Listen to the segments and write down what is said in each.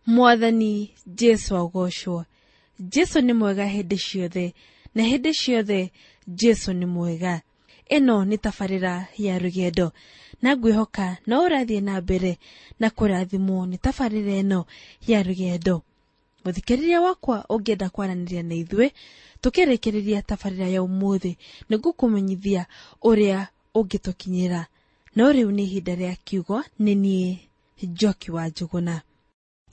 Mwathani Jesu agocwo. Jesu nĩ mwega hĩndĩ ciothe, na hĩndĩ ciothe Jesu nĩ mwega. Ĩno nĩ tabarĩra ya rũgendo, na ngwĩhoka no ũrathiĩ na mbere na kũrathimwo nĩ tabarĩra ĩno ya rũgendo. Mũthikĩrĩria wakwa ũngĩenda kwaranĩria na ithuĩ tũkĩrĩkĩrĩria tabarĩra ya ũmũthĩ, nĩngũkũmenyithia ũrĩa ũngĩtũkinyĩra. No rĩu nĩ ihinda rĩa kiugo, nĩ niĩ Njoki wa Njũgũna.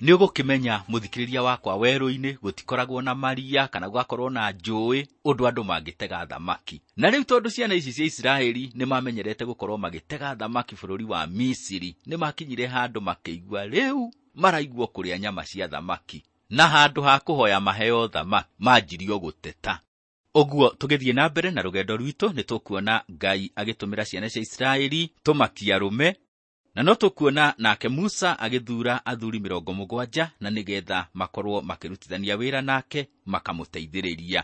Nĩ ũgũkĩmenya mũthikĩrĩria wakwa, werũ-inĩ gũtikoragwo na maria kana gũgakorwo na njũĩ ũndũ andũ mangĩtega thamaki. Na rĩu tondũ ciana ici cia Isiraeli nĩ mamenyerete gũkorwo magĩtega thamaki bũrũri wa Misiri, nĩ makinyire handũ makĩigua rĩu maraigua kũrĩa nyama cia thamaki, na handũ ha kũhoya maheo thamaki manjirio gũteta. Ũguo tũgĩthiĩ na mbere na rũgendo rwitũ nĩ tũkuona Ngai agĩtũmĩra ciana cia Isiraeli tũmakia arũme, na no tũkuona nake Musa agĩthuura athuri 70 na nĩgetha makorwo makĩrutithania wĩra nake makamũteithĩrĩria.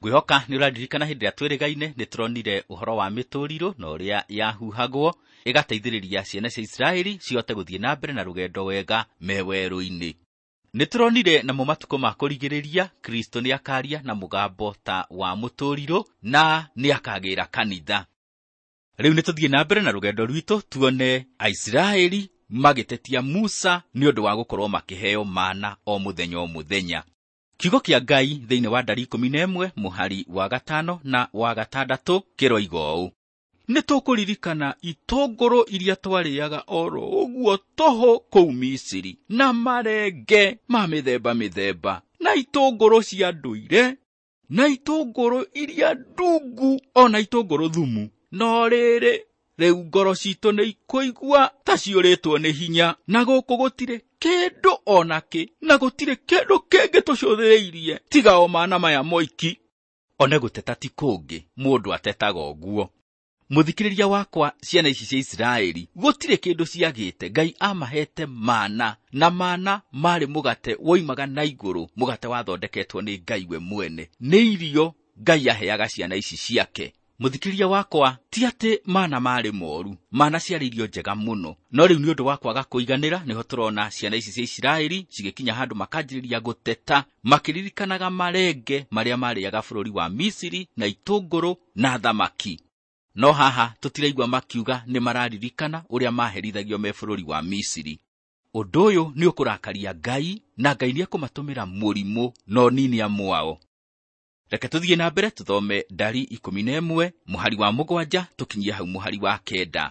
Ngwĩhoka nĩ ũraririkana hĩndĩ ĩrĩa twĩrĩgaine nĩ tũronire ũhoro wa mĩtũrirũ na ũrĩa yahuhagwo ĩgateithĩrĩria ciana cia Isiraeli cihote gũthiĩ na mbere na rũgendo wega me werũ-inĩ. Nĩ tũronire namo matukũ ma kũrigĩrĩria Kristo nĩ akaria na mũgambo ta wa mũtũrirũ na nĩ akagĩra kanitha. Rĩu nĩ tũthiĩ na mbere na rũgendo rwitũ tuone Aisiraeli magĩtetia Musa nĩ ũndũ wa gũkorwo makĩheo mana o mũthenya o mũthenya. Kiugo kĩa Ngai thĩinĩ wa ndari 11 mũhari wa 5 na wa 6 kĩroiga ũũ: Nĩ tũkũririkana itũngũrũ iria twarĩaga oro ũguo tũhũ kũu Misiri, na marenge ma mĩthemba mĩthemba, na itũngũrũ cia ndũire, na itũngũrũ iria ndungu, ona itũngũrũ thumu. No rĩrĩ, rĩu ngoro citũ nĩ ikũigua ta ciũrĩtwo nĩ hinya, na gũkũ gũtirĩ kĩndũ ona kĩ, na gũtirĩ kĩndũ kĩngĩ tũcũthĩrĩirie tiga o mana maya moiki. One gũteta ti kũngĩ, mũndũ atetaga ũguo. Mũthikĩrĩria wakwa, ciana ici cia Isiraeli gũtirĩ kĩndũ ciagĩte. Ngai amahete mana, na mana marĩ mũgate woimaga na igũrũ, mũgate wathondeketwo nĩ Ngai we mwene. Nĩ irio Ngai aheaga ciana ici ciake. Mũthikĩrĩria wakwa, ti atĩ mana marĩ moru, mana ciarĩ irio njega mũno, no rĩu nĩ ũndũ wa kwaga kũiganĩra nĩho tũrona ciana ici cia Isiraeli cigĩkinya handũ makanjĩrĩria gũteta, makĩririkanaga marenge marĩa marĩaga bũrũri wa Misiri na itũngũrũ na thamaki. No haha tũtiraigua makiuga nĩ mararirikana ũrĩa maherithagio me bũrũri wa Misiri. Ũndũ ũyũ nĩ ũkũrakaria Ngai, na Ngai nĩ ekũmatũmĩra mũrimũ no nini amwao. Reke tũthiĩ na mbere tũthome ndari 11 mũhari wa 7 tũkinyie hau mũhari wa 9.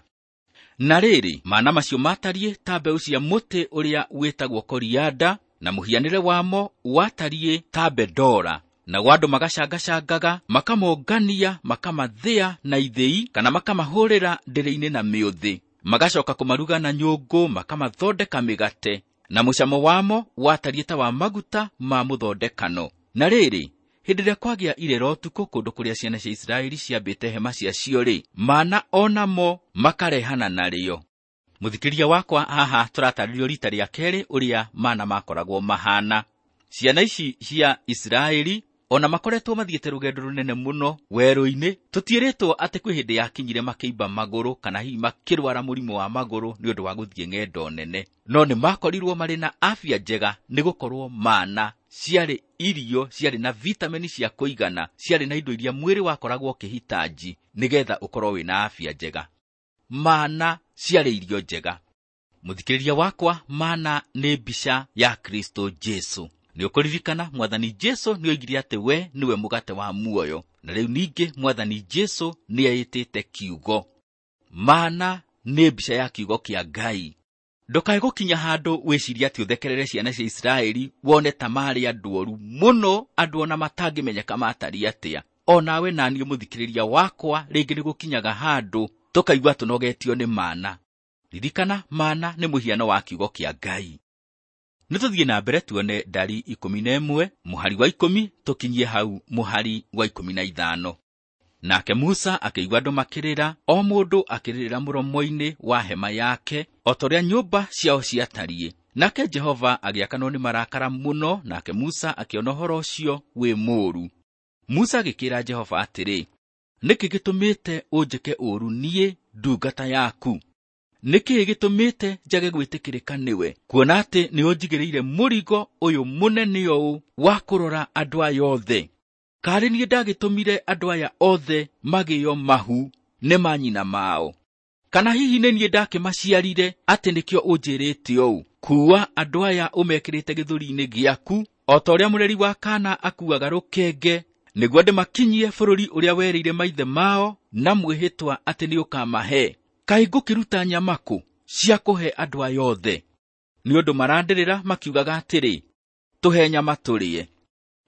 Na rĩrĩ, mana macio matariĩ ta mbeũ cia mũtĩ ũrĩa wĩtagwo korianda, na mũhianĩre wamo watariĩ ta bendora. Nao andũ magacangacangaga, makamongania, makamathĩa na ithĩi, kana makamahũrĩra ndĩrĩ-inĩ na mĩũthĩ. Magacoka kũmaruga na nyũngũ, makamathondeka mĩgate, na mũcamo wamo watariĩ ta wa maguta ma mũthondekano. Na rĩrĩ, hĩndĩ ĩrĩa kwagĩa irĩra ũtukũ kũndũ kũrĩa ciana cia Isiraeli ciambĩte hema ciacio-rĩ, mana onamo makarehana narĩo. Mũthikĩrĩria wakwa, haha tũratarĩrio rita rĩa kerĩ ũrĩa mana makoragwo mahana. Ciana ici cia Isiraeli ona makoretwo mathiĩte rũgendo rũnene mũno werũ-inĩ, tũtiĩrĩtwo atĩ kwĩ hĩndĩ yakinyire makĩimba magũrũ kana hihi makĩrwara mũrimũ wa magũrũ nĩ ũndũ wa gũthiĩ ng'endo nene, no nĩ makorirwo marĩ na afya njega nĩ gũkorwo mana ciarĩ irio ciarĩ na vitamini cia kũigana, ciarĩ na indo iria mwĩrĩ wakoragwo ũkĩhitaji nĩgetha ũkorwo wĩna afya njega. Mana ciarĩ irio njega. Mũthikĩrĩria wakwa, mana nĩ mbica ya Kristo Jesu. Nĩ ũkũririkana Mwathani Jesu nĩ oigire atĩ we nĩwe mũgate wa muoyo, na rĩu ningĩ Mwathani Jesu nĩ eĩtĩte kiugo. Mana nĩ mbica ya kiugo kĩa Ngai. Ndũkae gũkinya handũ wĩcirie atĩ ũthekerere ciana cia Isiraeli wone ta marĩ andũ oru mũno, andũ ona matangĩmenyeka matariĩ atĩa. Onawe na niĩ mũthikĩrĩria wakwa, rĩngĩ nĩ gũkinyaga handũ tũkaigua tũnogetio nĩ mana. Ririkana, mana nĩ mũhiano wa kiugo kĩa Ngai. Nĩ tũthiĩ na mbere tuone ndari 11 mũhari wa 10 tũkinyie hau mũhari wa 15. Nake Musa akĩigua andũ makĩrĩra, o mũndũ akĩrĩrĩra mũromo-inĩ wa hema yake, o ta ũrĩa nyũmba ciao ciatariĩ. Nake Jehova agĩakanwo nĩ marakara mũno, nake Musa akĩona ũhoro ũcio wĩ mũũru. Musa agĩkĩra Jehova atĩrĩ, nĩkĩ gĩtũmĩte ũnjĩke ũũru niĩ ndungata yaku? Nĩkĩĩ gĩtũmĩte njage gwĩtĩkĩrĩka nĩwe, kuona atĩ nĩũnjigĩrĩire mũrigo ũyũ mũnene ũũ wa kũrora andũ aya othe? Karĩ niĩ ndagĩtũmire andũ aya othe magĩo mahu nĩ manyina mao? Kana hihi nĩ niĩ ndakĩmaciarire atĩ nĩkĩo ũnjĩrĩte ũũ, kuua andũ aya ũmekĩrĩte gĩthũri-inĩ gĩaku o ta ũrĩa mũreri wa kaana akuaga rũkenge, nĩguo ndĩmakinyie bũrũri ũrĩa werĩire maithe mao na mwĩhĩtwa atĩ nĩũkamahe? Kaĩ ngũkĩruta nyama kũ cia kũhe andũ aya othe? Nĩ ũndũ marandĩrĩra makiugaga atĩrĩ, tũhe nyama tũrĩe.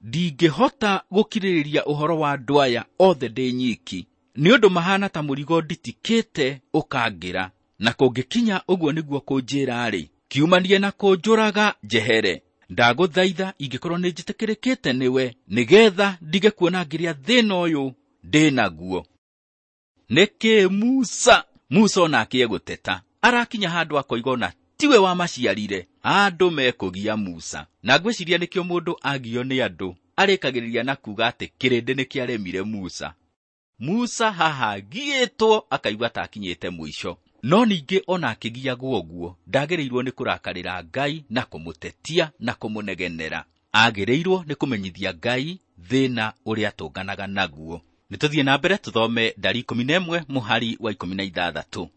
Ndingĩhota gũkirĩrĩria ũhoro wa andũ aya othe ndĩ nyiki, nĩ ũndũ mahana ta mũrigo nditikĩte ũkangĩra. Na kũngĩkinya ũguo nĩguo kũnjĩra-rĩ, kiumanie na kũnjũraga njehere. Ndagũthaitha ingĩkorwo nĩ njĩtĩkĩrĩkĩte nĩwe, nĩgetha ndige kuona ngĩrĩa thĩna ũyũ ndĩ naguo. Nĩkĩ Musa? Musa onake egũteta. Arakinya handũ akoiga ona tiwe wamaciarire. Andũ mekũgia Musa. Na ngwĩciria nĩkĩo mũndũ agio nĩ andũ arĩkagĩrĩria na kuga atĩ kĩrĩndĩ nĩkĩaremire Musa. Musa haha agiĩtwo akaigua ta akinyĩte mũico. No ningĩ ona akĩgiagwo ũguo, ndagĩrĩirwo nĩ kũrakarĩra Ngai na kũmũtetia na kũmũnegenera. Agĩrĩirwo nĩ kũmenyithia Ngai thĩna ũrĩa atũnganaga naguo. Nĩtũthiĩ na mbere tũthome ndari 11 mũhari wa 16.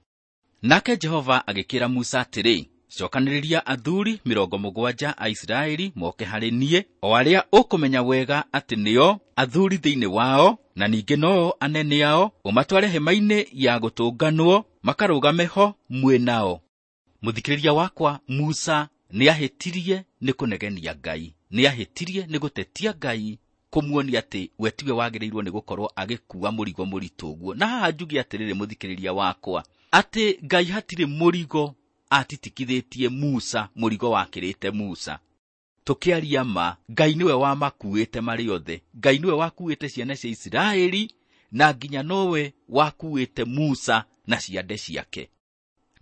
Nake Jehova agĩkĩra Musa atĩrĩ, cokanĩrĩria athuri 70 a Isiraeli moke harĩ niĩ, o arĩa ũkũmenya wega atĩ nĩo athuri thĩinĩ wao, na ningĩ noo anene ao, ũmatware hema-inĩ ya gũtũnganwo, makarũgame ho mwĩ nao. Mũthikĩrĩria wakwa, Musa nĩahĩtirie nĩ kũnegenia Ngai, nĩahĩtirie nĩ gũtetia Ngai, kũmuonia atĩ we tiwe wagĩrĩirwo nĩ gũkorwo agĩkua mũrigo mũritũ ũguo. Na haha njuge atĩrĩrĩ mũthikĩrĩria wakwa, atĩ Ngai hatirĩ mũrigo atitikithĩtie Musa, mũrigo wakĩrĩte Musa. Tũkĩaria ma, Ngai nĩwe wamakuĩte marĩ othe. Ngai nĩwe wakuĩte ciana cia Isiraeli, na nginya nowe wakuĩte Musa na ciande ciake.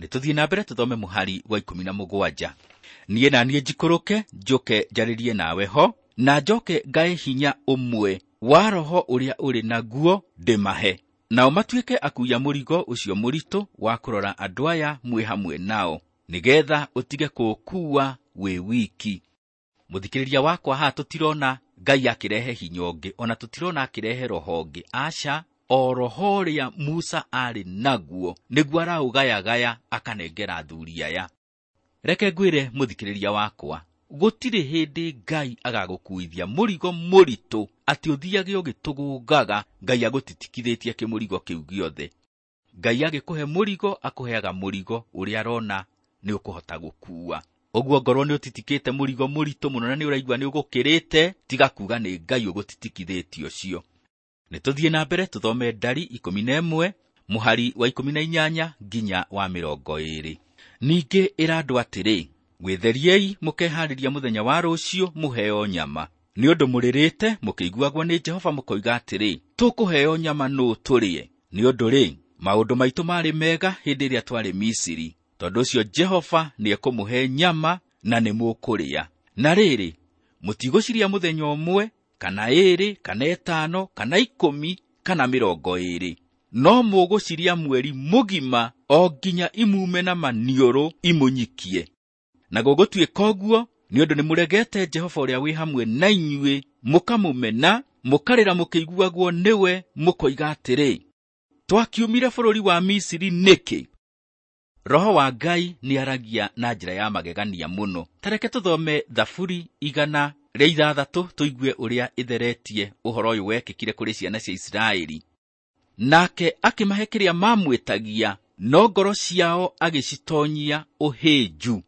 Nĩtũthiĩ na mbere tũthome mũhari wa 17. Niĩ na niĩ njikũrũke njũke njarĩrie nawe ho, na njoke ngae hinya ũmwe wa roho ũrĩa ũrĩ naguo ndĩmahe, nao matuĩke akuia mũrigo ũcio mũritũ wa kũrora andũ aya mwĩ hamwe nao, nĩgetha ũtige kũũkuua wĩ wiki. Mũthikĩrĩria wakwa, haha tũtirona Ngai akĩrehe hinya ũngĩ, ona tũtirona akĩrehe roho ũngĩ. Aca, o roho ũrĩa Musa arĩ naguo nĩguo araũgayagaya akanengera athuri aya. Reke ngwĩre mũthikĩrĩria wakwa, gũtirĩ hĩndĩ Ngai agagũkuithia mũrigo mũritũ atĩ ũthiage ũgĩtũgũngaga Ngai agũtitikithĩtie kĩmũrigo kĩu gĩothe. Ngai agĩkũhe mũrigo, akũheaga mũrigo ũrĩa arona nĩ ũkũhota gũkua. Ũguo ngorwo nĩ ũtitikĩte mũrigo mũritũ mũno na nĩ ũraigua nĩ ũgũkĩrĩte, tiga kuga nĩ Ngai ũgũtitikithĩtie ũcio. Nĩtũthiĩ na mbere tũthome ndari 11 mũhari wa 18 nginya wa 20. Ningĩ ĩra andũ atĩrĩ, wĩtheriei mũkeharĩria mũthenya wa rũciũ mũheo nyama. Nĩ ũndũ mũrĩrĩte mũkĩiguagwo nĩ Jehova mũkoiga atĩrĩ, tũkũheo nyama nũ tũrĩe? Nĩ ũndũ rĩ, maũndũ maitũ marĩ mega hĩndĩ ĩrĩa twarĩ Misiri. Tondũ ũcio Jehova nĩekũmũhe nyama na nĩmũkũrĩa. Na rĩrĩ, mũtigũciria mũthenya ũmwe, kana 2, kana 5, kana 10, kana 20. No mũgũciria mweri mũgima o nginya imume na maniũrũ imũnyikie. Na gũgũtuĩka ũguo nĩ ũndũ nĩmũregete Jehova ũrĩa wĩ hamwe na inyuĩ, mũkamũmena, mũkarĩra mũkĩiguagwo nĩwe, mũkoiga atĩrĩ, twakiumire bũrũri wa Misiri nĩkĩ? Roho wa Ngai nĩaragia na njĩra ya magegania mũno. Ta reke tũthome Thaburi 106 tũigue ũrĩa ĩtheretie ũhoro ũyũ wekĩkire kũrĩ ciana cia Isiraeli. Nake akĩmahe kĩrĩa mamwĩtagia, no ngoro ciao agĩcitonyia ũhĩnju.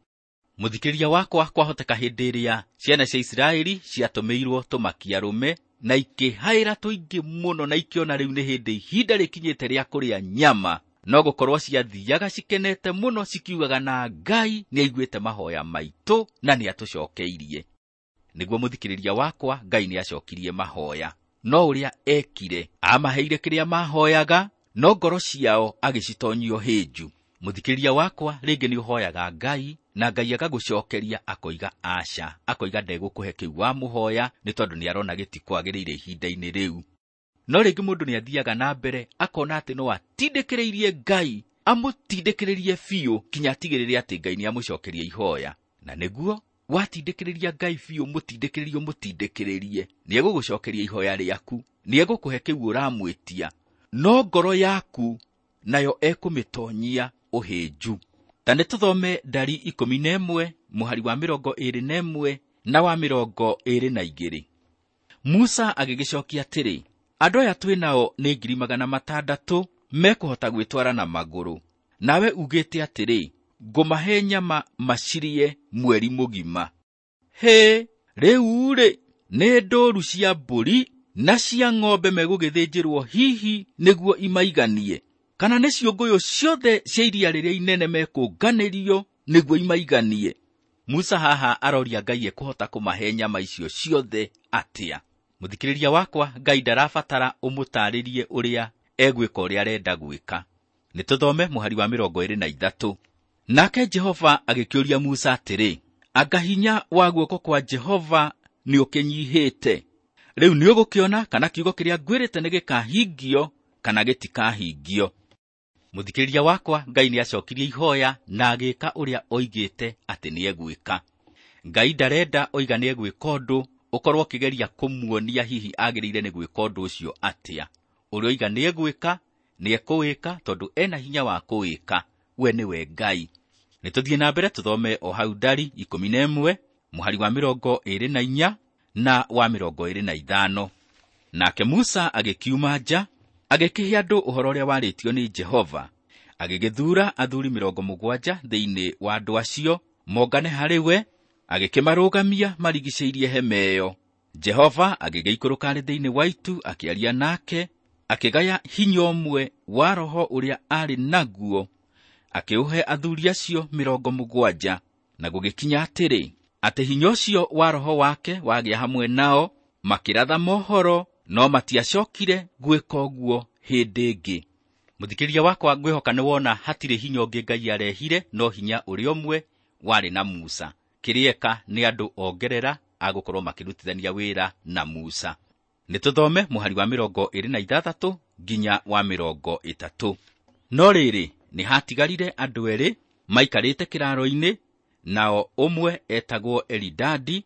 Mũthikĩrĩria wakwa, kwahoteka hĩndĩ ĩrĩa ciana cia Isiraeli ciatũmĩirwo tũmakia arũme na ikĩhaĩra tũingĩ mũno na ikĩona rĩu nĩ hĩndĩ ihinda rĩkinyĩte rĩa kũrĩa nyama, no gũkorwo ciathiaga cikenete mũno cikiugaga na Ngai nĩaiguĩte mahoya maitũ na nĩatũcokeirie. Nĩguo mũthikĩrĩria wakwa, Ngai nĩacokirie mahoya. No ũrĩa ekire, amaheire kĩrĩa mahoyaga, no ngoro ciao agĩcitonyio hĩnju. Mũthikĩrĩria wakwa, rĩngĩ nĩũhoyaga Ngai na Ngai agagũcokeria akoiga aca, akoiga ndegũkũhe kĩu wamũhoya nĩ tondũ nĩarona gĩtikwagĩrĩire ihinda-inĩ rĩu. No rĩngĩ mũndũ nĩathiaga na mbere akona atĩ no atindĩkĩrĩirie Ngai Amũtindĩkĩrĩrie biũ kinya atigĩrĩre atĩ Ngai nĩamũcokeria ihoya. Na nĩguo watindĩkĩrĩria Ngai biũ, mũtindĩkĩrĩrie ũmũtindĩkĩrĩrie, nĩegũgũcokeria ihoya rĩaku, nĩegũkũhe kĩu ũramwĩtia, no ngoro yaku nayo ekũmĩtonyia ũhĩnju. Ta nĩtũthome Ndari 11 mũhari wa 21 na wa 22. Musa agĩgĩcokia atĩrĩ, andũ aya twĩ nao nĩ 600,000 mekũhota gwĩtwara na magũrũ, nawe ugĩte atĩrĩ, ngũmahe nyama macirie mweri mũgima. Hĩ, rĩu-rĩ, nĩ ndũũru cia mbũri na cia ng'ombe megũgĩthĩnjĩrwo hihi nĩguo imaiganie, kana nĩ ciũngũyũ ciothe cia iria rĩrĩa inene mekũnganĩrio nĩguo imaiganie? Musa haha aroria Ngai ekũhota kũmahe nyama icio ciothe atĩa. Mũthikĩrĩria wakwa, Ngai ndarabatara ũmũtaarĩrie ũrĩa egwĩka ũrĩa arenda gwĩka. Nĩtũthome mũhari wa 23. Nake Jehova agĩkĩũria Musa atĩrĩ, anga hinya wa guoko kwa Jehova nĩũkĩnyihĩte? Rĩu nĩũgũkĩona kana kiugo kĩrĩa ngwĩrĩte nĩgĩkahingio kana gĩtikahingio. Mũthikĩrĩria wakwa, Ngai nĩacokirie ihoya na agĩka ũrĩa oigĩte atĩ nĩegwĩka. Ngai ndarenda oiga nĩegwĩka ũndũ ũkorwo ũkĩgeria kũmuonia hihi agĩrĩire nĩ gwĩka ũndũ ũcio atĩa. Ũrĩa oiga nĩegwĩka, nĩekũwĩka tondũ ena hinya wa kũwĩka. We nĩwe Ngai. Nĩtũthiĩ na mbere tũthome o hau Ndari 11 mũhari wa 24 na wa 25. Nake Musa agĩkiuma nja, agĩkĩhe andũ ũhoro ũrĩa warĩtio nĩ Jehova. Agĩgĩthuura athuri 70 thĩinĩ wa andũ acio mongane harĩ we, agĩkĩmarũgamia marigicĩirie hema ĩyo. Jehova agĩgĩikũrũka arĩ thĩinĩ wa itu, akĩaria nake, akĩgaya hinya ũmwe wa roho ũrĩa aarĩ naguo, akĩũhe athuri acio 70. Na gũgĩkinya atĩrĩ, atĩ hinya ũcio wa roho wake wagĩa hamwe nao, makĩratha mohoro, no matiacokire gwĩka ũguo hĩndĩ ĩngĩ. Mũthikĩrĩria wakwa, ngwĩhoka nĩwona hatirĩ hinya ũngĩ Ngai arehire, no hinya ũrĩa ũmwe warĩ na Musa. Kĩrĩa eka nĩ andũ ongerera agũkorwo makĩrutithania wĩra na Musa. Nĩtũthome mũhari wa 26 nginya wa 30. No rĩrĩ, nĩ hatigarire andũ erĩ maikarĩte kĩraro-inĩ, nao ũmwe etagwo Elidadi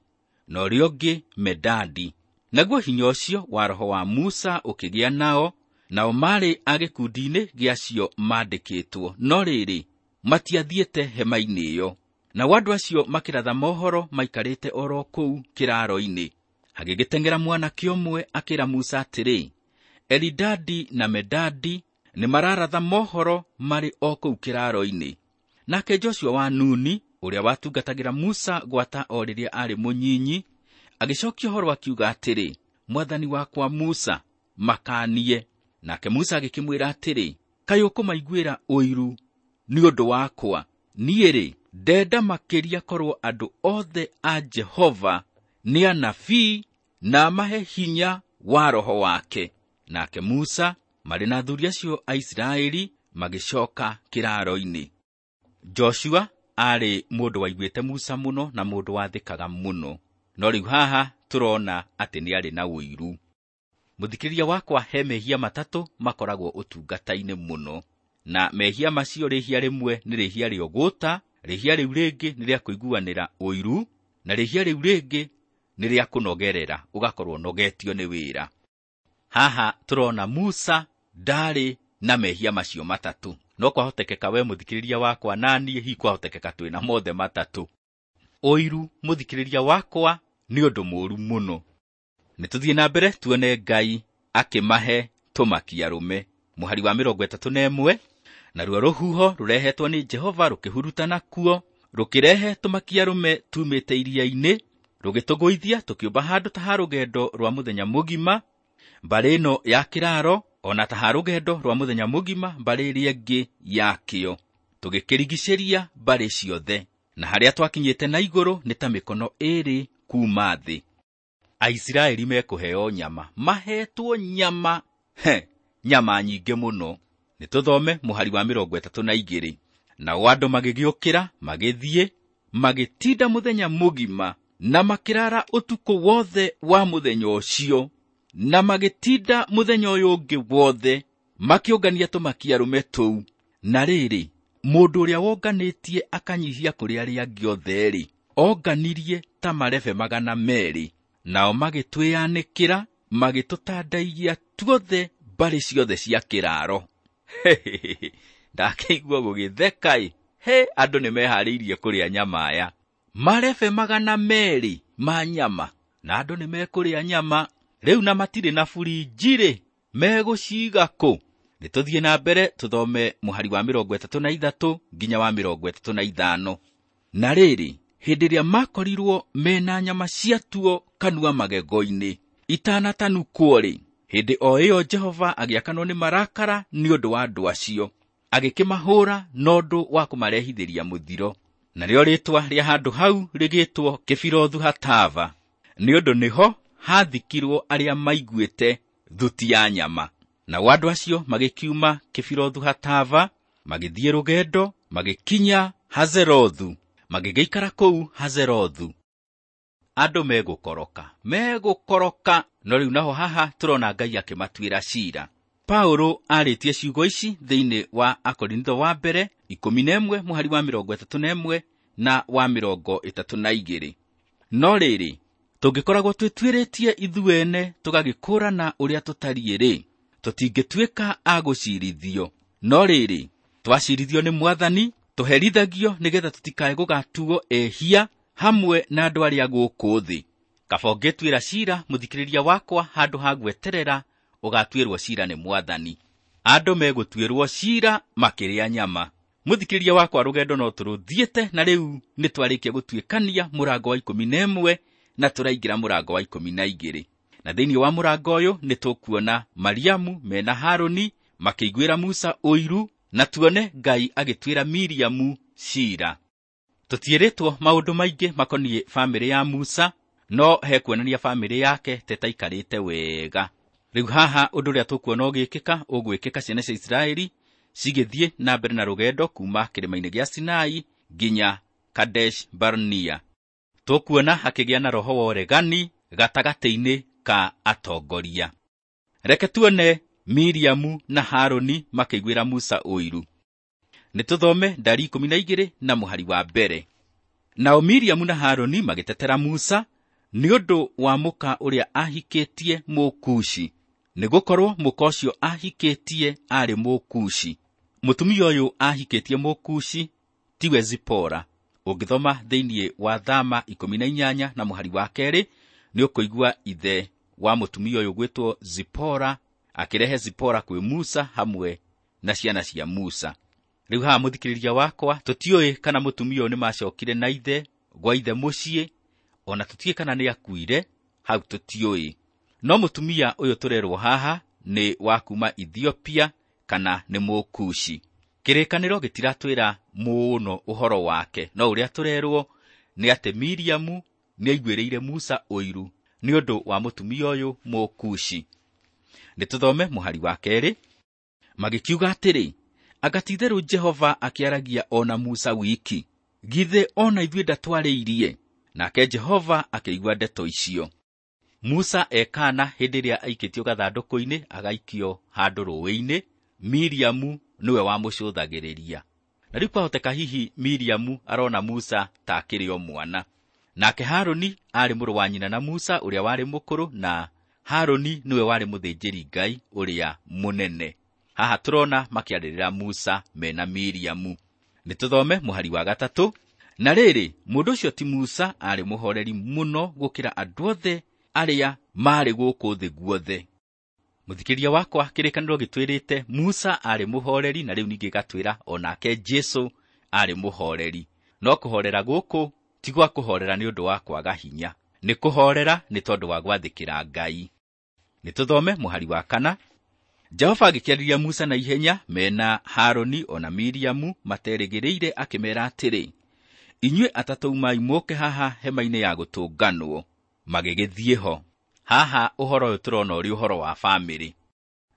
na ũrĩa ũngĩ Medadi. Naguo hinya ũcio wa roho wa Musa ũkĩgĩa nao, nao maarĩ a gĩkundi-inĩ gĩa acio mandĩkĩtwo, no rĩrĩ, matiathiĩte hema-inĩ ĩyo. Nao andũ acio makĩratha mohoro maikarĩte oro kũu kĩraro-inĩ. Hagĩgĩteng'era mwanake ũmwe akĩra Musa atĩrĩ, Elidadi na Medadi nĩmararatha mohoro marĩ o kũu kĩraro-inĩ. Nake Joshua wa Nuni, ũrĩa watungatagĩra Musa gwata o rĩrĩa aarĩ mũnyinyi, agĩcokia ũhoro akiuga atĩrĩ, mwathani wakwa Musa, makanie. Nake Musa agĩkĩmwĩra atĩrĩ, kaĩ ũkũmaiguĩra ũiru nĩ ũndũ wakwa? Niĩ-rĩ, ndenda makĩria korwo andũ othe a Jehova nĩ anabii na amahe hinya wa roho wake. Nake Musa marĩ na athuri acio a Isiraeli magĩcoka kĩraro-inĩ. Joshua aarĩ mũndũ waiguĩte Musa mũno na mũndũ wathĩkaga mũno, no rĩu haha tũrona atĩ nĩarĩ na ũiru. Mũthikĩrĩria wakwa, he mehia matatũ makoragwo ũtungata-inĩ mũno, na mehia macio rĩhia rĩmwe nĩ rĩhia rĩa ũgũta, rĩhia rĩu rĩngĩ nĩ rĩa kũiguanĩra ũiru, na rĩhia rĩu rĩngĩ nĩ rĩa kũnogerera, ũgakorwo ũnogetio nĩ wĩra. Haha tũrona Musa ndarĩ na mehia macio matatũ, no kwahotekeka we mũthikĩrĩria wakwa na niĩ hihi kwahotekeka twĩna mothe matatũ. Ũiru, mũthikĩrĩria wakwa, nĩ ũndũ mũũru mũno. Nĩtũthiĩ na mbere tuone Ngai akĩmahe tũmakia arũme. Mũhari wa 31, naruo rũhuho rũrehetwo nĩ Jehova rũkĩhurutana kuo, rũkĩrehe tũmakia arũme tumĩte iria-inĩ, rũgĩtũgũithia tũkĩũmba handũ ta ha rũgendo rwa mũthenya mũgima, mbarĩ ĩno ya kĩraro, ona ta ha rũgendo rwa mũthenya mũgima mbarĩ ĩrĩa ĩngĩ yakĩo, tũgĩkĩrigicĩria mbarĩ ciothe, na harĩa twakinyĩte na igũrũ nĩ ta mĩkono 2 kuma thĩ. Aisiraeli mekũheo nyama, mahetwo nyama, he, nyama nyingĩ mũno. Nĩtũthome mũhari wa 32. Nao andũ magĩgĩũkĩra, magĩthiĩ, magĩtinda mũthenya mũgima, na makĩrara ũtukũ wothe wa mũthenya ũcio, na magĩtinda mũthenya ũyũ ũngĩ wothe, makĩũngania tũmakia arũme tũu. Na rĩrĩ, mũndũ ũrĩa wonganĩtie akanyihia kũrĩ arĩa angĩ othe-rĩ, onganirie ta marebe 200, nao magĩtwĩyanĩkĩra, magĩtũtandaiya tuothe mbarĩ ciothe cia kĩraaro. Ndakĩigua gũgĩtheka-ĩ, he andũ nĩmeharĩirie kũrĩa nyama aya. Marebe 200 ma nyama, na andũ nĩmekũrĩa nyama rĩu, na matirĩ na burinji-rĩ, megũciga kũ? Nĩtũthiĩ na mbere tũthome mũhari wa 33 nginya wa 35. Na rĩrĩ, hĩndĩ ĩrĩa makorirwo mena nyama ciatuo kanua magego-inĩ itanatanukwo-rĩ, hĩndĩ o ĩyo Jehova agĩakanwo nĩ marakara nĩ ũndũ wa andũ acio, agĩkĩmahũũra na ũndũ wa kũmarehithĩria mũthiro. Narĩo rĩĩtwa rĩa handũ hau rĩgĩtwo Kĩbirothu Hatava, nĩ ũndũ nĩho hathikirwo arĩa maiguĩte thuti ya nyama. Nao andũ acio magĩkiuma Kĩbirothu Hatava, magĩthiĩ rũgendo, magĩkinya Hazerothu, magĩgĩikara kũu Hazerothu. Andũ megũkoroka, no rĩu naho haha tũrona Ngai akĩmatuĩra ciira. Paulo arĩtie ciugo ici thĩinĩ wa Akorintho wa mbere 11 mũhari wa 31 na wa 32. No rĩrĩ, tũngĩkoragwo twĩtuĩrĩtie ithuene tũgagĩkũũrana ũrĩa tũtariĩ-rĩ, tũtingĩtuĩka a gũciirithio. No rĩrĩ, twaciirithio nĩ Mwathani, tũherithagio nĩgetha tũtikae gũgatuo ehia hamwe na andũ arĩa gũkũ thĩ. Kaba ũngĩtuĩra ciira mũthikĩrĩria wakwa handũ ha gweterera ũgatuĩrwo ciira nĩ Mwathani. Andũ megũtuĩrwo ciira makĩrĩa nyama. Mũthikĩrĩria wakwa, rũgendo no tũrũthiĩte, na rĩu nĩtwarĩkia gũtuĩkania mũrango wa 11 na tũraingĩra mũrango wa 12. Na thĩinĩ wa mũrango ũyũ nĩtũkuona Mariamu mena Harũni makĩiguĩra Musa ũiru, na tuone Ngai agĩtuĩra Miriamu ciira. Tũtiĩrĩtwo maũndũ maingĩ makoniĩ bamĩrĩ ya Musa, no hekuonania bamĩrĩ yake tetaikarĩte wega. Rĩu haha ũndũ ũrĩa tũkuona ũgĩkĩka, ũgwĩkĩka ciana cia Isiraeli cigĩthiĩ na mbere na rũgendo kuma kĩrĩma-inĩ gĩa Sinai nginya Kadesh Barnea. Tũkuona hakĩgĩa na roho wa ũregani gatagatĩ-inĩ ka atongoria. Reke tuone Miriamu na Harũni makĩiguĩra Musa ũiru. Nĩtũthome ndari 12 na mũhari wa mbere. Nao Miriamu na Harũni magĩtetera Musa nĩ ũndũ wa mũka ũrĩa ahikĩtie Mũkushi, nĩgũkorwo mũka ũcio ahikĩtie aarĩ Mũkushi. Mũtumia ũyũ ahikĩtie Mũkushi tiwe Zipora. Ũngĩthoma thĩinĩ wa Thama 18 na mũhari wa 2, nĩũkũigua ithe wa mũtumia ũyũ gwĩtwo Zipora akĩrehe Zipora kwĩ Musa hamwe na ciana cia Musa. Rĩu haha mũthikĩrĩria wakwa, tũtiũĩ kana mũtumia ũyũ nĩmacokire na ithe gwa ithe mũciĩ, ona tũtiũĩ kana nĩakuire, hau tũtiũĩ. No mũtumia ũyũ tũrerwo haha nĩ wa kuma Ethiopia kana nĩ Mũkushi. Kĩrĩkanĩro gĩtiratwĩra mũno ũhoro wake, no ũrĩa tũrerwo nĩ atĩ Miriamu nĩaiguĩrĩire Musa ũiru nĩ ũndũ wa mũtumia ũyũ Mũkushi. Nĩtũthome mũhari wa 2. Magĩkiuga atĩrĩ, anga ti-itherũ Jehova akĩaragia o na Musa wiki, githĩ o na ithuĩ ndatwarĩirie? Nake Jehova akĩigua ndeto icio. Musa ekana hĩndĩ ĩrĩa aikĩtio gathandũkũ-inĩ agaikio handũ rũũĩ-inĩ, Miriamu nĩwe wamũcũthagĩrĩria. Na rĩu kwahoteka hihi Miriamu arona Musa ta akĩrĩ o mwana. Nake Harũni aarĩ mũrũ wa nyina na Musa ũrĩa warĩ mũkũrũ, na Harũni nĩwe warĩ mũthĩnjĩri Ngai ũrĩa mũnene. Haha tũrona makĩarĩrĩra Musa mena Miriamu. Nĩtũthome mũhari wa 3. Na rĩrĩ, mũndũ ũcio ti Musa aarĩ mũhoreri mũno gũkĩra andũ othe arĩa maarĩ gũkũ thĩ guothe. Mũthikĩrĩria wakwa, kĩrĩkanĩro gĩtwĩrĩte Musa aarĩ mũhoreri, na rĩu ningĩ gĩgatwĩra o nake Jesũ aarĩ mũhoreri. No kũhorera gũkũ ti gwa kũhorera nĩ ũndũ wa kwaga hinya, nĩ kũhorera nĩ tondũ wa gwathĩkĩra Ngai. Nĩtũthome mũhari wa 4. Jehova agĩkĩarĩria Musa na ihenya mena Harũni o na Miriamu materĩgĩrĩire, akĩmeera atĩrĩ, inyuĩ atatũ umai mũũke haha hema-inĩ ya gũtũnganwo. Magĩgĩthiĩ ho. Haha ũhoro ũyũ tũrona ũrĩ ũhoro wa bamĩrĩ.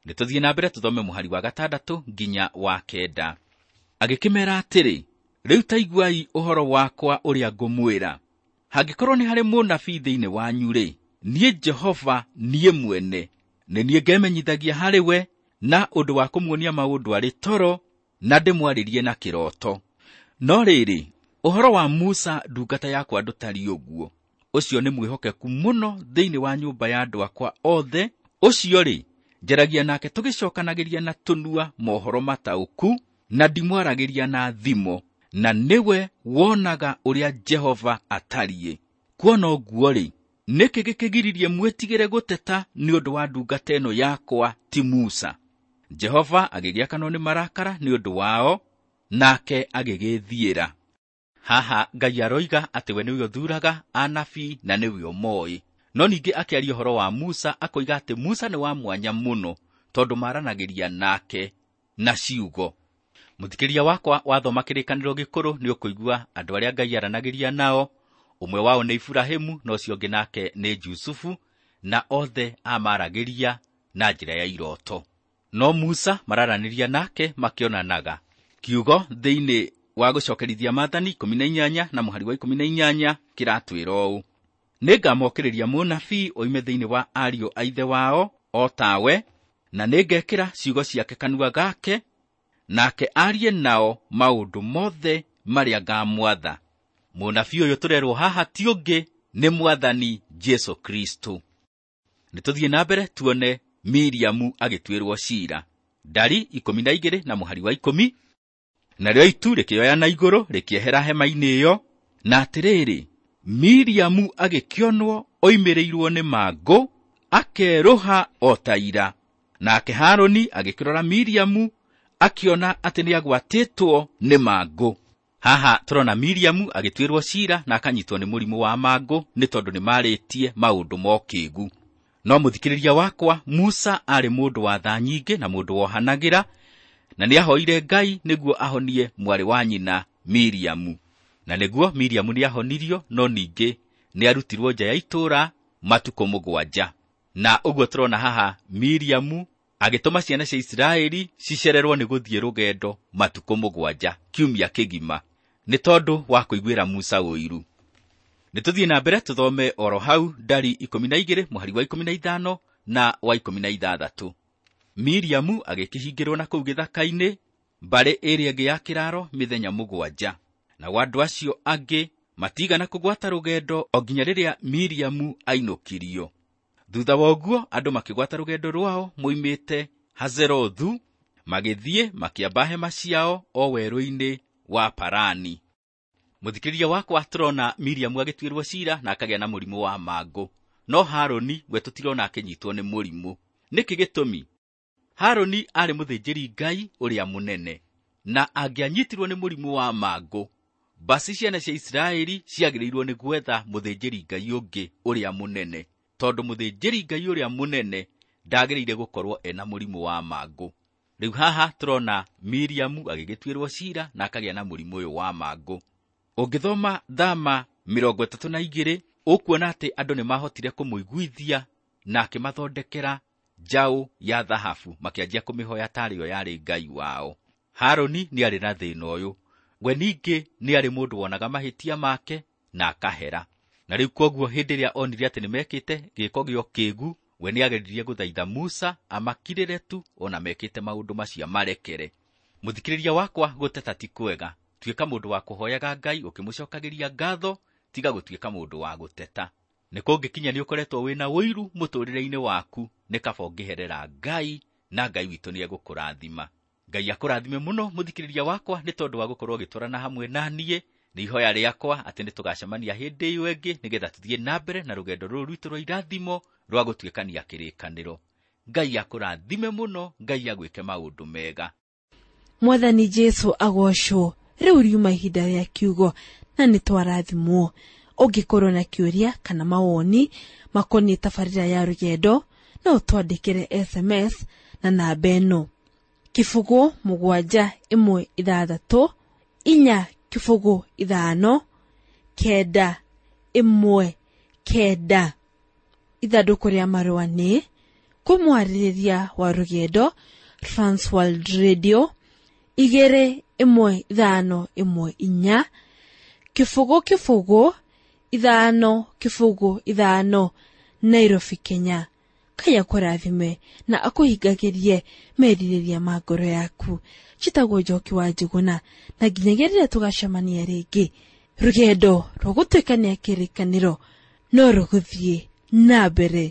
Nĩtũthiĩ na mbere tũthome mũhari wa 6 nginya wa 9. Agĩkĩmeera atĩrĩ, rĩu ta iguai ũhoro wakwa ũrĩa ngũmwĩra. Hangĩkorwo nĩ harĩ mũnabii thĩinĩ wanyu-rĩ, niĩ Jehova niĩ mwene nĩ niĩ ngemenyithagia harĩ we na ũndũ wa kũmuonia maũndũ arĩ toro, na ndĩmwarĩrie na kĩroto. No rĩrĩ, ũhoro wa Musa ndungata yakwa ndũtariĩ ũguo. Ũcio nĩ mwĩhokeku mũno thĩinĩ wa nyũmba ya andũ akwa othe. Ũcio-rĩ, njaragia nake tũgĩcokanagĩria na tũnua mohoro mataũku, na ndimwaragĩria na thimo, na nĩwe wonaga ũrĩa Jehova atariĩ. Kuona ũguo-rĩ, nĩkĩ gĩkĩgiririe mwĩtigĩre gũteta nĩ ũndũ wa ndungata ĩno yakwa ti Musa? Jehova agĩgĩakanwo nĩ marakara nĩ ũndũ wao, nake agĩgĩthiĩra. Haha Ngai aroiga atĩ we nĩwe ũthuuraga anabii na nĩwe ũmoĩ. No ningĩ akĩaria ũhoro wa Musa akoiga atĩ Musa nĩ wa mwanya mũno tondũ maranagĩria nake na ciugo. Mũthikĩrĩria wakwa wathoma kĩrĩkanĩro gĩkũrũ nĩ ũkũigua andũ arĩa Ngai aranagĩria nao. Ũmwe wao nĩ Iburahĩmu na ũcio ũngĩ nake nĩ Jusufu, na othe amaragĩria na njĩra ya iroto. No Musa mararanĩria nake makĩonanaga. Kiugo thĩinĩ wa gũcokerithia maathani 18 na mũhari wa 18 kĩratwĩra ũũ: nĩngamokĩrĩria mũnabii oime thĩinĩ wa ariũ a ithe wao o tawe, na nĩngekĩra ciugo ciake kanua gake, nake arie nao maũndũ mothe marĩa ngamwatha. Mũnabii ũyũ tũrerwo haha ti ũngĩ nĩ Mwathani Jesũ Kristo. Nĩtũthiĩ na mbere tuone Miriamu agĩtuĩrwo ciira. Ndari 12 na mũhari wa 10. Narĩo itu rĩkĩoya na igũrũ rĩkĩehera hema-inĩ ĩyo, na atĩrĩrĩ, Miriamu agĩkĩonwo oimĩrĩirwo nĩ mangũ, akerũha o ta ira. Nake Harũni agĩkĩrora Miriamu, akĩona atĩ nĩagwatĩtwo nĩ mangũ. Haha tũrona Miriamu agĩtuĩrwo ciira na akanyitwo nĩ mũrimũ wa mangũ nĩ tondũ nĩmarĩtie maũndũ ma ũkĩĩgu. No mũthikĩrĩria wakwa, Musa aarĩ mũndũ wa tha nyingĩ na mũndũ wohanagĩra, na nĩahoire Ngai nĩguo ahonie mwarĩ wa nyina Miriamu. Na nĩguo Miriamu nĩahonirio, no ningĩ nĩarutirwo nja ya itũũra matukũ 7. Na ũguo tũrona haha Miriamu agĩtũma ciana cia Isiraeli cicererwo nĩ gũthiĩ rũgendo matukũ 7, kiumia kĩgima, nĩ tondũ wa kũiguĩra Musa ũiru. Nĩtũthiĩ na mbere tũthome oro hau Ndari 12 mũhari wa 15 na wa 16. Miriamu agĩkĩhingĩrwo na kũu gĩthaka-inĩ mbarĩ ĩrĩa ĩngĩ ya kĩraro mĩthenya 7. Nao andũ acio angĩ matigana kũgwata rũgendo o nginya rĩrĩa Miriamu ainũkirio. Thutha wa ũguo andũ makĩgwata rũgendo rwao moimĩte Hazerothu, magĩthiĩ makĩamba hema ciao o werũ-inĩ wa Parani. Mũthikĩrĩria wakwa, tũrona Miriamu agĩtuĩrwo ciira na akagĩa na mũrimũ wa mangũ. No Harũni we tũtirona akĩnyitwo nĩ mũrimũ. Nĩkĩ gĩtũmi? Harũni aarĩ mũthĩnjĩri Ngai ũrĩa mũnene, na angĩanyitirwo nĩ mũrimũ wa mangũ, basi ciana cia Isiraeli ciagĩrĩirwo nĩ gwetha mũthĩnjĩri Ngai ũngĩ ũrĩa mũnene, tondũ mũthĩnjĩri Ngai ũrĩa mũnene ndagĩrĩire gũkorwo ena mũrimũ wa mangũ. Rĩu haha tũrona Miriamu agĩgĩtuĩrwo ciira na akagĩa na mũrimũ ũyũ wa mangũ. Ũngĩthoma Thama 32 ũkuona atĩ andũ nĩmahotire kũmũiguithia na akĩmathondekera njaũ ya thahabu, makĩanjia kũmĩhoya tarĩ yo yarĩ Ngai wao. Harũni nĩarĩ na thĩna ũyũ. We ningĩ nĩarĩ mũndũ wonaga mahĩtia make na akahera. Na rĩu kwoguo hĩndĩ ĩrĩa onire atĩ nĩmekĩte gĩko gĩa ũkĩĩgu, we nĩageririe gũthaitha Musa amakirĩre tu ona mekĩte maũndũ macio amarekere. Mũthikĩrĩria wakwa, gũteta ti kwega. Tuĩka mũndũ wa kũhoyaga Ngai ũkĩmũcokagĩria ngatho, tiga gũtuĩka mũndũ wa gũteta. Nĩ kũngĩkinya nĩ ũkoretwo wĩna ũiru mũtũrĩre-inĩ waku, nĩ kaba ũngĩherera Ngai, na Ngai witũ nĩegũkũrathima. Ngai akũrathime mũno mũthikĩrĩria wakwa nĩ tondũ wa gũkorwo ũgĩtwarana hamwe na niĩ. Nĩ ihoya rĩakwa atĩ nĩtũgacemania hĩndĩ ĩyo ĩngĩ nĩgetha tũthiĩ na mbere na rũgendo rũrũ rwitũ rwa irathimo rwa gũtuĩkania kĩrĩkanĩro. Ngai akũrathime mũno, Ngai agwĩke maũndũ mega. Mwathani Jesũ agocwo. Rĩu riuma ihinda rĩa kiugo na nĩtwarathimwo. Ũngĩkorwo na kĩũria kana mawoni makoniĩ tabarĩra ya rũgendo, no ũtwandĩkĩre SMS na namba ĩno: 0 7 1 6 4 0 5 9 1 9. Ithandũkũ rĩa marũa nĩ kũmwarĩrĩria wa rũgendo, Transworld Radio 2 1 5 1 4 0 0 5 0 5, Nairobi, Kenya. Ngai akũrathime na akũhingagĩrie merirĩria ma ngoro yaku. Njĩtagwo Njoki wa Njũgũna, na nginyagia rĩrĩa tũgacemania rĩngĩ, rũgendo rwa gũtuĩkania kĩrĩkanĩro no rũgũthiĩ na mbere.